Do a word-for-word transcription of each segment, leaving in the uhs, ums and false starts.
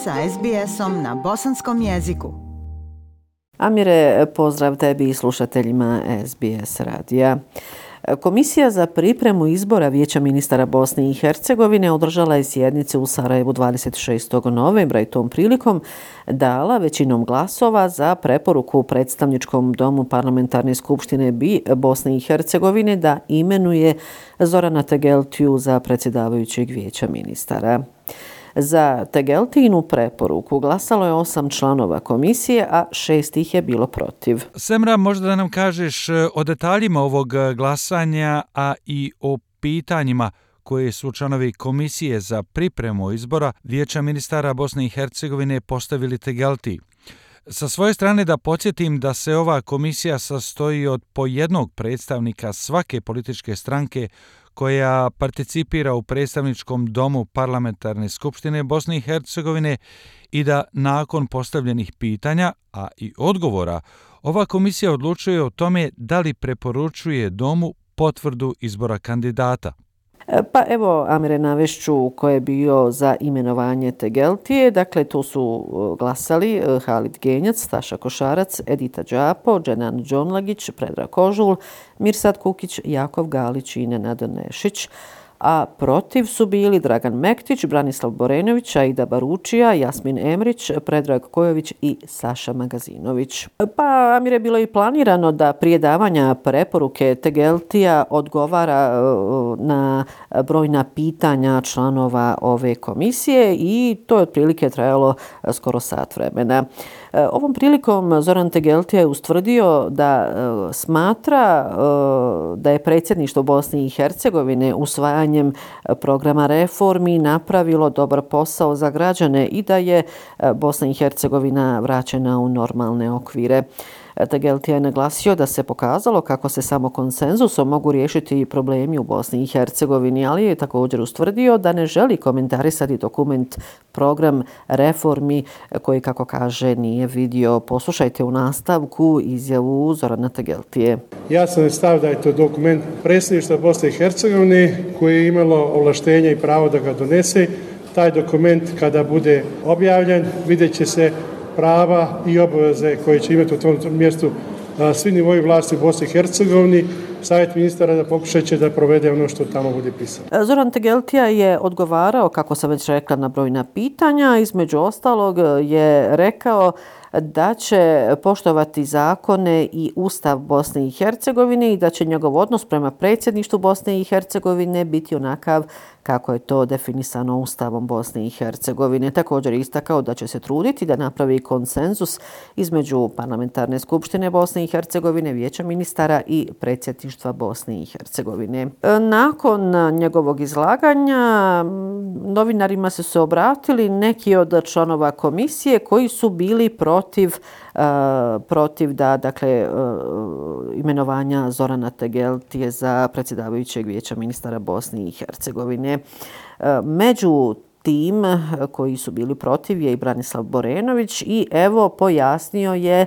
sa es be esom na bosanskom jeziku. Amire, pozdrav tebi i slušateljima es be es radija. Komisija za pripremu izbora Vijeća ministara Bosne i Hercegovine održala je sjednice u Sarajevu dvadeset šestog novembra i tom prilikom dala većinom glasova za preporuku predstavničkom domu Parlamentarne skupštine Bosne i Hercegovine da imenuje Zorana Tegeltiju za predsjedavajućeg Vijeća ministara. Za Tegeltijinu preporuku glasalo je osam članova komisije, a šest ih je bilo protiv. Semra, možda da nam kažeš o detaljima ovog glasanja, a i o pitanjima koje su članovi komisije za pripremu izbora Vijeća ministara Bosne i Hercegovine postavili Tegeltiji. Sa svoje strane da podsjetim da se ova komisija sastoji od po jednog predstavnika svake političke stranke koja participira u predstavničkom domu Parlamentarne skupštine Bosne i Hercegovine i da nakon postavljenih pitanja, a i odgovora, ova komisija odlučuje o tome da li preporučuje domu potvrdu izbora kandidata. Pa evo, Amire, navešću ko je bio za imenovanje Tegeltije. Dakle, tu su glasali Halid Genjac, Staša Košarac, Edita Đapo, Dženan Đonlagić, Predrag Kožul, Mirsad Kukić, Jakov Galić i Nenad Nešić. A protiv su bili Dragan Mektić, Branislav Borenović, Aida Baručija, Jasmin Emrić, Predrag Kojović i Saša Magazinović. Pa, Amire, je bilo i planirano da prije davanja preporuke Tegeltija odgovara na brojna pitanja članova ove komisije i to je otprilike trajalo skoro sat vremena. Ovom prilikom Zoran Tegeltija je ustvrdio da smatra da je predsjedništvo Bosne i Hercegovine usvajanjem programa reformi napravilo dobar posao za građane i da je Bosna i Hercegovina vraćena u normalne okvire. Tegeltija je naglasio da se pokazalo kako se samo konsenzusom mogu riješiti problemi u Bosni i Hercegovini, ali je također ustvrdio da ne želi komentarisati dokument program reformi koji, kako kaže, nije vidio. Poslušajte u nastavku izjavu Zorana Tegeltije. Ja sam stav da je to dokument predsjedništva Bosne i Hercegovine koji je imalo ovlaštenje i pravo da ga donese. Taj dokument kada bude objavljen vidjet će se prava i obaveze koje će imati u tom mjestu svi nivoji vlasti u Bosni i Hercegovini. Savjet ministara da pokušat će da provede ono što tamo bude pisano. Zoran Tegeltija je odgovarao, kako sam već rekla, na brojna pitanja. Između ostalog je rekao da će poštovati zakone i Ustav Bosne i Hercegovine i da će njegov odnos prema predsjedništvu Bosne i Hercegovine biti onakav kako je to definisano Ustavom Bosne i Hercegovine. Također je istakao da će se truditi da napravi konsenzus između Parlamentarne skupštine Bosne i Hercegovine, Vijeća ministara i predsjedništva Bosne i Hercegovine. Nakon njegovog izlaganja novinarima su se obratili neki od članova komisije koji su bili protiv uh, protiv da dakle uh, imenovanja Zorana Tegeltije za predsjedavajućeg Vijeća ministara Bosne i Hercegovine. Uh, među tim koji su bili protiv je i Branislav Borenović i evo pojasnio je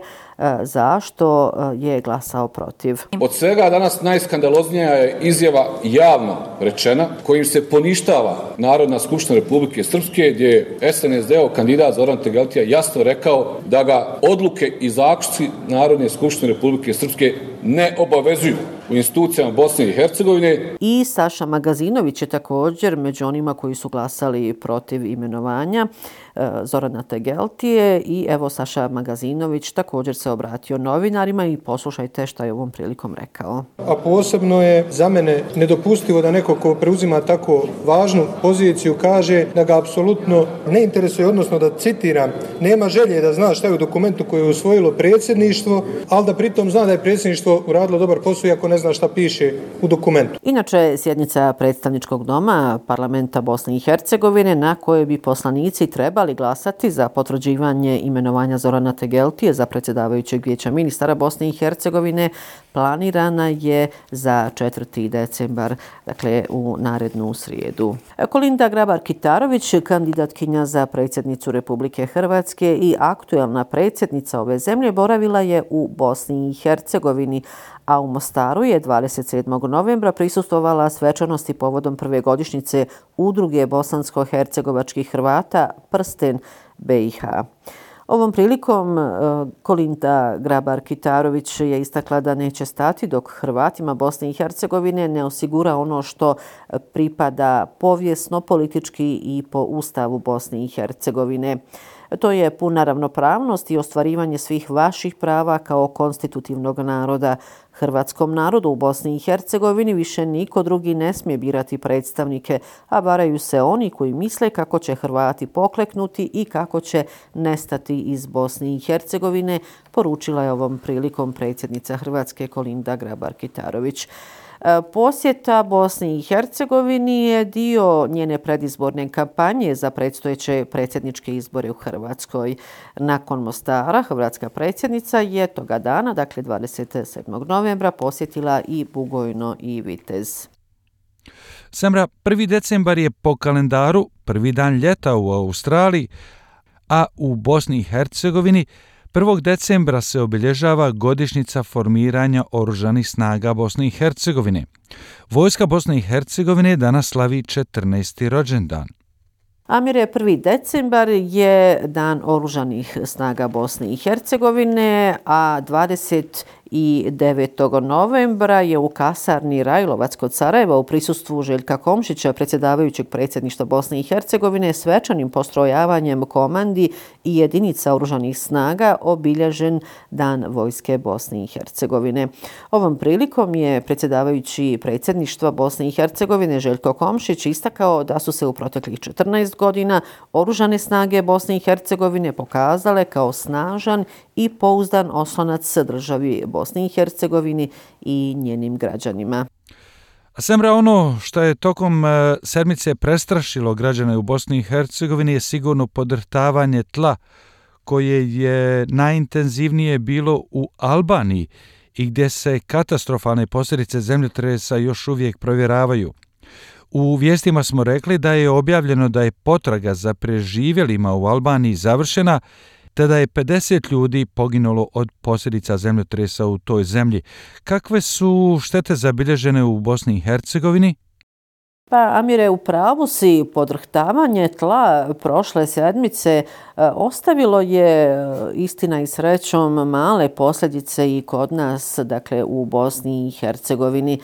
zašto je glasao protiv. Od svega danas najskandaloznija je izjava javno rečena kojim se poništava Narodna skupština Republike Srpske gdje je es en es de-ov kandidat Zoran Tegeltija jasno rekao da ga odluke i zaključci Narodne skupštine Republike Srpske ne obavezuju u institucijama Bosne i Hercegovine. I Saša Magazinović je također među onima koji su glasali protiv imenovanja Zorana Tegeltije i evo Saša Magazinović također se obratio novinarima i poslušajte šta je ovom prilikom rekao. A posebno je za mene nedopustivo da neko ko preuzima tako važnu poziciju kaže da ga apsolutno ne interesuje, odnosno da citiram, nema želje da zna šta je u dokumentu koje je usvojilo predsjedništvo, ali da pritom zna da je predsjedništvo uradilo dobar posao iako ne zna šta piše u dokumentu. Inače, sjednica predstavničkog doma Parlamenta Bosne i Hercegovine na kojoj bi poslanici trebali glasati za potvrđivanje imenovanja Zorana Tegeltije za predsjedavajućeg Vijeća ministara Bosne i Hercegovine planirana je za četvrti decembar, dakle u narednu srijedu. Kolinda Grabar-Kitarović, kandidatkinja za predsjednicu Republike Hrvatske i aktuelna predsjednica ove zemlje, boravila je u Bosni i Hercegovini, a u Mostaru je dvadeset sedmog novembra prisustvovala svečanosti povodom prve godišnjice Udruge bosansko-hercegovačkih Hrvata Prsten B i H. Ovom prilikom Kolinda Grabar-Kitarović je istakla da neće stati dok Hrvatima Bosne i Hercegovine ne osigura ono što pripada povijesno, politički i po Ustavu Bosne i Hercegovine. To je puna ravnopravnost i ostvarivanje svih vaših prava kao konstitutivnog naroda. Hrvatskom narodu u Bosni i Hercegovini više niko drugi ne smije birati predstavnike, a varaju se oni koji misle kako će Hrvati pokleknuti i kako će nestati iz Bosne i Hercegovine, poručila je ovom prilikom predsjednica Hrvatske Kolinda Grabar-Kitarović. Posjeta Bosni i Hercegovini je dio njene predizborne kampanje za predstojeće predsjedničke izbore u Hrvatskoj. Nakon Mostara, hrvatska predsjednica je toga dana, dakle dvadeset sedmog novembra, posjetila i Bugojno i Vitez. Semra, prvi decembar je po kalendaru prvi dan ljeta u Australiji, a u Bosni i Hercegovini prvog decembra se obilježava godišnjica formiranja Oružanih snaga Bosne i Hercegovine. Vojska Bosne i Hercegovine danas slavi četrnaesti rođendan. Amire, prvi decembar je dan Oružanih snaga Bosne i Hercegovine, a dvadeset devetog novembra je u kasarni Rajlovac kod Sarajeva u prisustvu Željka Komšića, predsjedavajućeg predsjedništva Bosne i Hercegovine, svečanim postrojavanjem komandi i jedinica Oružanih snaga obilježen Dan Vojske Bosne i Hercegovine. Ovom prilikom je predsjedavajući predsjedništva Bosne i Hercegovine Željko Komšić istakao da su se u proteklih četrnaest godina Oružane snage Bosne i Hercegovine pokazale kao snažan i pouzdan oslonac državi Bosni i Hercegovini i njenim građanima. A Semra, ono što je tokom sedmice prestrašilo građane u Bosni i Hercegovini je sigurno podrhtavanje tla koje je najintenzivnije bilo u Albaniji i gdje se katastrofalne posljedice zemljotresa još uvijek provjeravaju. U vijestima smo rekli da je objavljeno da je potraga za preživjelima u Albaniji završena, te da je pedeset ljudi poginulo od posljedica zemljotresa u toj zemlji. Kakve su štete zabilježene u Bosni i Hercegovini? Pa, Amire, u pravu si, podrhtavanje tla prošle sedmice ostavilo je, istina i srećom, male posljedice i kod nas, dakle u Bosni i Hercegovini.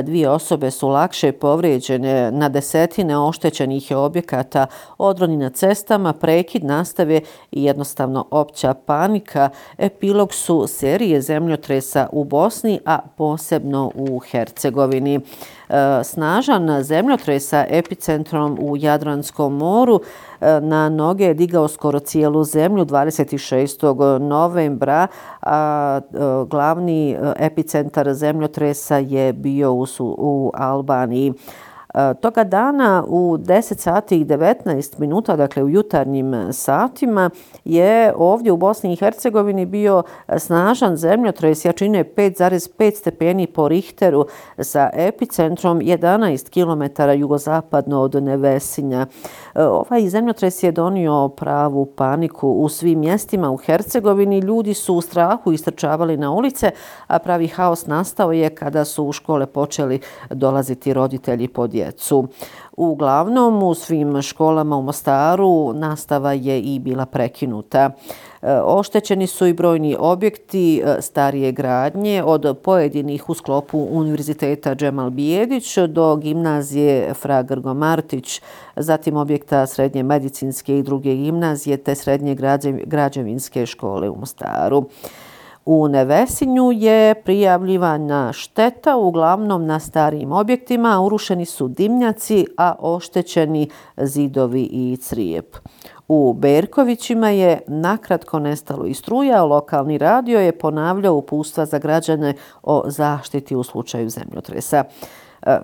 Dvije osobe su lakše povrijeđene, na desetine oštećenih objekata, odroni na cestama, prekid nastave i jednostavno opća panika. Epilog su serije zemljotresa u Bosni, a posebno u Hercegovini. Snažan zemljotres sa epicentrom u Jadranskom moru na noge je digao skoro cijelu zemlju dvadeset šestog novembra, a glavni epicentar zemljotresa je bio u, u Albaniji. Toga dana u deset sati i devetnaest minuta, dakle u jutarnjim satima, je ovdje u Bosni i Hercegovini bio snažan zemljotres jačine pet zarez pet stepeni po Richteru sa epicentrom jedanaest kilometara jugozapadno od Nevesinja. Ovaj zemljotres je donio pravu paniku u svim mjestima u Hercegovini. Ljudi su u strahu istrčavali na ulice, a pravi haos nastao je kada su u škole počeli dolaziti roditelji po djecu. Uglavnom, u svim školama u Mostaru nastava je i bila prekinuta. Oštećeni su i brojni objekti starije gradnje, od pojedinih u sklopu Univerziteta Džemal Bijedić do gimnazije Fra Grgo Martić, zatim objekta srednje medicinske i druge gimnazije te srednje građevinske škole u Mostaru. U Nevesinju je prijavljivana šteta uglavnom na starijim objektima, urušeni su dimnjaci, a oštećeni zidovi i crijep. U Berkovićima je nakratko nestalo i struja, a lokalni radio je ponavljao uputstva za građane o zaštiti u slučaju zemljotresa.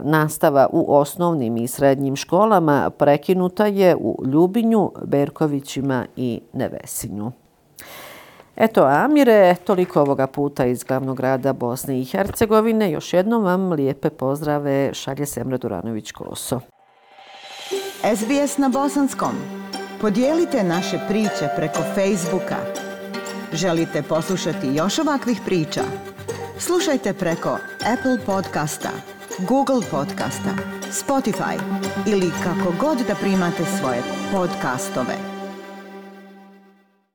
Nastava u osnovnim i srednjim školama prekinuta je u Ljubinju, Berkovićima i Nevesinju. Eto, Amire, toliko ovoga puta iz glavnog grada Bosne i Hercegovine. Još jednom vam lijepe pozdrave šalje Semra Duranović-Koso. S B S na bosanskom. Podijelite naše priče preko Facebooka. Želite poslušati još ovakvih priča? Slušajte preko Apple podcasta, Google podcasta, Spotify ili kako god da primate svoje podcastove.